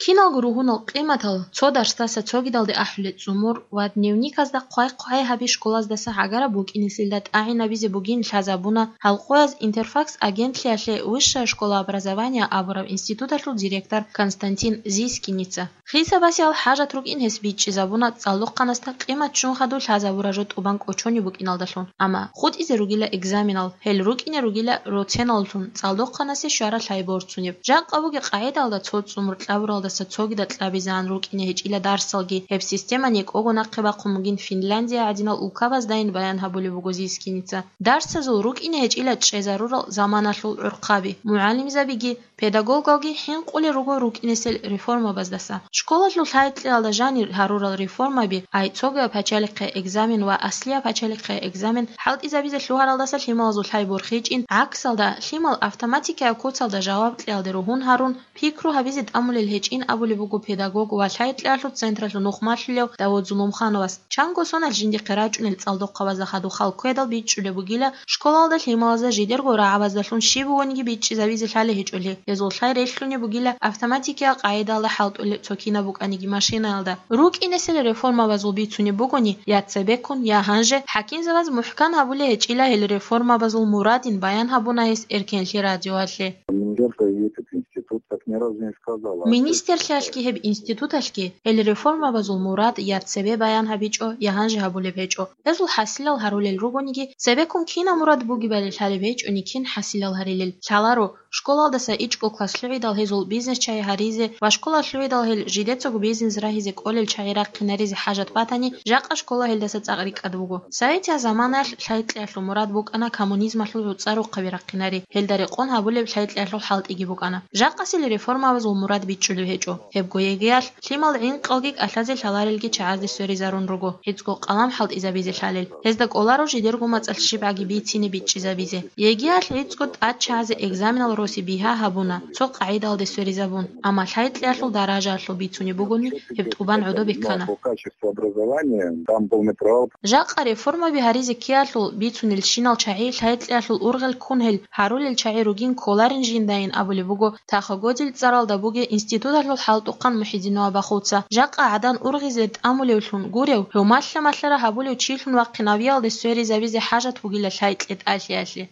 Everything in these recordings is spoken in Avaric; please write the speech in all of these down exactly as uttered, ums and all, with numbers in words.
Киналго ругьунал къиматал цо дарсдаса цогидалде ахӀулел цӀумур ва дневниказда хъвай-хъвай гьаби школаздаса гӀагараб букӀинесилда тӀагӀинабизе бугин лъазабуна гьалкъояз Интерфакс агентлъиялъе Высшая школа образования абураб институталъул директор Константин Зискиница. Хисабасиял хӀажат рукӀин гьес бичӀчӀизабуна цӀалдохъанасда къимат ччун хадур лъазабураб жо тӀубан кӀочонеб букӀиналдалъун, амма хутӀизе ругила экзаменал, гьел рукӀине ругила роценаллъун цӀалдохъанасе щвараб лъай борцунеб. Жакъа бугеб къагӀидалда цо цӀумур кьабуралдаса цогидал кьабизегӀан рукӀине гьечӀила дарсалги, гьеб система некӀого нахъе бахъун бугин Финляндия гӀадинал улкабаздайин баян гьабулеб буго Зискиница. Дарсазул рукӀине гьечӀила чӀезарурал заманалъул гӀурхъаби, мугӀалимзабиги, педагогалги хӀинкъулел руго рукӀинесел реформабаздаса. Школалъул лъай-кьеялда жанир гьарурал реформаби, ай цогияб пачалихъе экзамен ва аслияб пачалихъе экзамен хӀалтӀизабизе лъугьаралдаса лъималазул лъай борхичӀин, гӀаксалда, лъимал автоматикаяб куцалда жаваб кьеялде ругьун гьарун, пикру гьабизе тӀамулел гьечӀин абулеб буго педагог ва лъай-кьеялъул централъул нух малъулев Давуд Зулумхановас. Чанго соналъ жиндихъе рачӀунел цӀалдохъабазда хадуб хал ккведал бичӀчӀулеб бугила, школалда лъималазда жидерго рагӀабаздалъун щиб бугониги бичӀчӀизабизе лъалеб гьечӀолъи, гьезул лъай релълъунеб бугила автоматикиял къагӀидалда хӀалтӀулеб цо кинаб букӀаниги машинаялда. РукӀинесел реформабазул бицунеб бугони, я цебеккун, я гьанже, хӀакимзабаз мухӀкан гьабулеб гьечӀила гьел реформабазул мурадин баян гьабуна гьес Эркенлъи радиоялъе. Министерство и этот институт так ни разу не сказала. Министерлъиялъги гьеб институталъги гьел реформабазул мурад я цебе баян гьабичӀо, я гьанже гьабулеб гьечӀо. Гьезул хӀасилал гьарулел ругониги, цебеккун кинаб мурад бугебали лъалеб гьечӀони, кин хӀасилал гьарилел лъаларо. Школалдаса ичӀго класс лъугӀидал гьезул бизнес-чагӀи гьаризе ва школа лъугӀидал гьел жидецаго бизнес рагьизе кӀолел чагӀи рахъинаризе хӀажат батани, жакъа школа гьелдаса цӀакъ рикӀкӀад буго. Советияб заманаялъ лъай-кьеялъул мурад букӀана коммунизмалъул гӀуцӀа рухъаби рахъинари, гьелда рекъон гьабулеб лъай-кьеялъул хӀалтӀиги букӀана. Жакъасел реформабазул мурад бичӀчӀулеб гьечӀо. Гьебго ЕГЭялъ лъимал гӀинкъалги кӀалъазе лъаларелги чагӀазде сверизарун руго, гӀицӀго къалам хӀалтӀизабизе лъалел. Гьезда кӀоларо жидерго мацӀалъ щибгӀаги бицине бичӀчӀизабизе. ЕГЭялъ гӀицӀго тӀад чагӀазе экзаменал роси бигьа гьабуна, цо къагӀидалде сверизабун, амма лъай-кьеялъул даражаялъул бицунеб бугони, гьеб тӀубан гӀодобе ккана. По качеству образования там полный провал. Жакъа реформаби гьаризе ккеялъул бицунелщинал чагӀи лъай-кьеялъул ургъел ккун гьел гьарулел чагӀи ругин кколарин жиндайин абулеб буго Тахо-Годил цӀаралда бугеб институталъул хӀалтӀухъан МухӀидинова Бахуца. Жакъа гӀадан ургъизе тӀамулевлъун гурев, гьев малъа-малъара гьабулев чилъун вахъинавиялде сверизабизе хӀажат бугила лъай-кьетӀалъиялъе.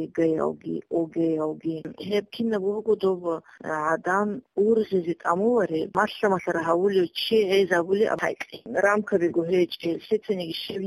ЕГЭялги, ОГЭялги. Гьеб кинаб буго доб гӀадан ургъизе тӀамулареб, малъа-малъара гьавулев чи гӀезабулеб лъай-кье. Рамкабиго гьечӀел, лъицаниги щиб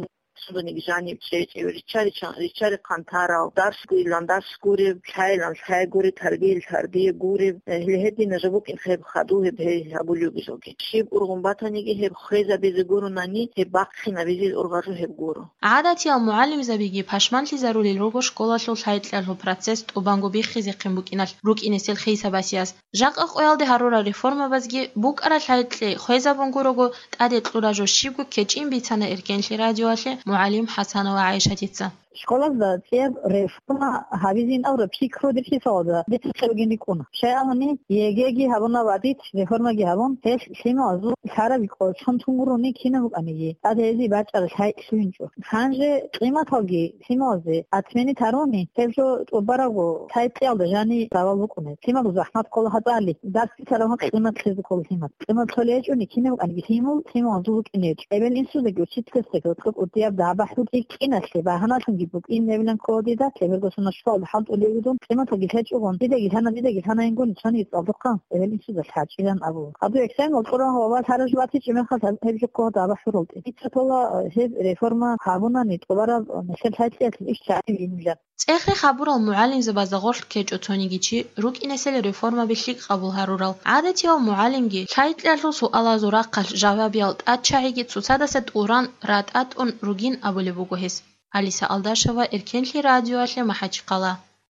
сунданиги жаниб чӀечӀев, риччари-, риччари-хъантарал, дарс гурилан дарс гуреб, лъайилан лъай гуреб, тарбиял тарбия гуреб, э, гьел гьедина жо букӀин гьеб хадув гьеб гьей гьабулев бижалги. Щиб ургъун батаниги гьеб хвезабизе гуронани, гьеб бахъинабизе ургъазул гьеб гуро. ГӀадатиял мугӀалимзабиги пашманлъизарулел руго школалъул лъай-кьеялъул процесс тӀубанго биххизехъин букӀиналъ рукӀинесел хисабасияс. Жакъа къоялде гьарурал реформабазги букӀарал лъай-кье хвезабун гурого, тӀаде кьураб жо щибго кечӀин бицана Эркенлъи радиоялъе мугӀалим ХӀасанова ГӀайшатица. Школазда цӀияб реформа гьабизин абураб пикру дир хисалазда дица цебегин рикӀкӀуна. Щай абуни, ЕГЭги гьабуна ва диц реформаги гьабун, гьелъ лъималазул лъараб кӀочон тун гурони кинаб букӀаниги, тӀад гьезие бачӀараб лъай лъугьинчӀо. Гьанже къиматалги лъималазе отменить гьаруни, гьеб жо тӀубарабго лъай-кьеялда жаниб давал букӀунеб. Лъималазул захӀмат ккола гьатӀали, дарс бицараб къимат лъезе ккола лъимал. Къимат лъолеб гьечӀони кинаб букӀаниги лъимал, лъималазул букӀине гьечӀо. Эбел-инсузеги, учительасеги, гьоркьоб кӀудияб дагӀба-хӀур кӀиналъе багьаналъунги букӀин гьебилан ккола дида, лъеберго соналъ школалда хӀалтӀулеб бугун, къиматалги лъечӀогон, дидаги лъана, дидаги лъана ингуни цониги цӀалдохъан, эбел-инсуда лъачӀилан абула. Гьаб экзамен кьураб ва лъараб жо батичӀеб мехалъ гьеб жо ккола дагӀба-хӀуралде. Дица ккола гьеб реформа гьабунани тӀубараб нилъер лъай-кьеялъул иш чагӀи винилан. ЦӀех-рех гьабурал мугӀалимзабазда гъорлъ ккечӀо цониги чи, рукӀинесел реформаби лъикӀ къабул гьарурал. ГӀадатияв мугӀалимги, лъай-кьеялъул суалазул рахъалъ жавабиял тӀадчагӀиги цоцадаса тӀуран ратӀатӀун ругин абулеб буго гьес. Алиса Алдашева, Эркенлъи радиоялъе МахӀачхъала.